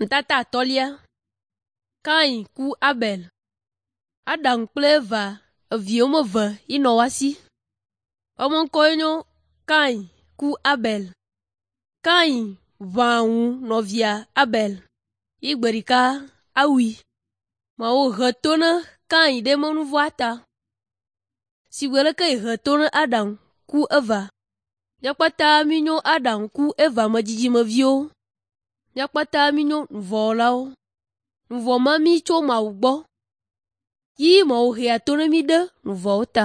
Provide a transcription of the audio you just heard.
Nutata atɔ̃lia. Kain ku Abel. Adam kple Eva evi woame eve yi nɔ woa si. Woƒe ŋkɔwoe nye Kain ku Abel. Kain ʋã ŋu nɔvia Abel yi gbe ɖeka awui. Mawu he to ne Kain ɖe eƒe nu vɔ̃a ta. Si gbe leke yehe to ne Adam ku Eva. Mía kpata míenyo Adam ku Eva me dzidzimeviwo. Mía kpata míenyo nuvɔ̃wɔlawo. Nuvɔ̃ ma mí tso Mawu gbɔ yi Mawu hea to ne mí ɖe nuvɔ̃wo ta.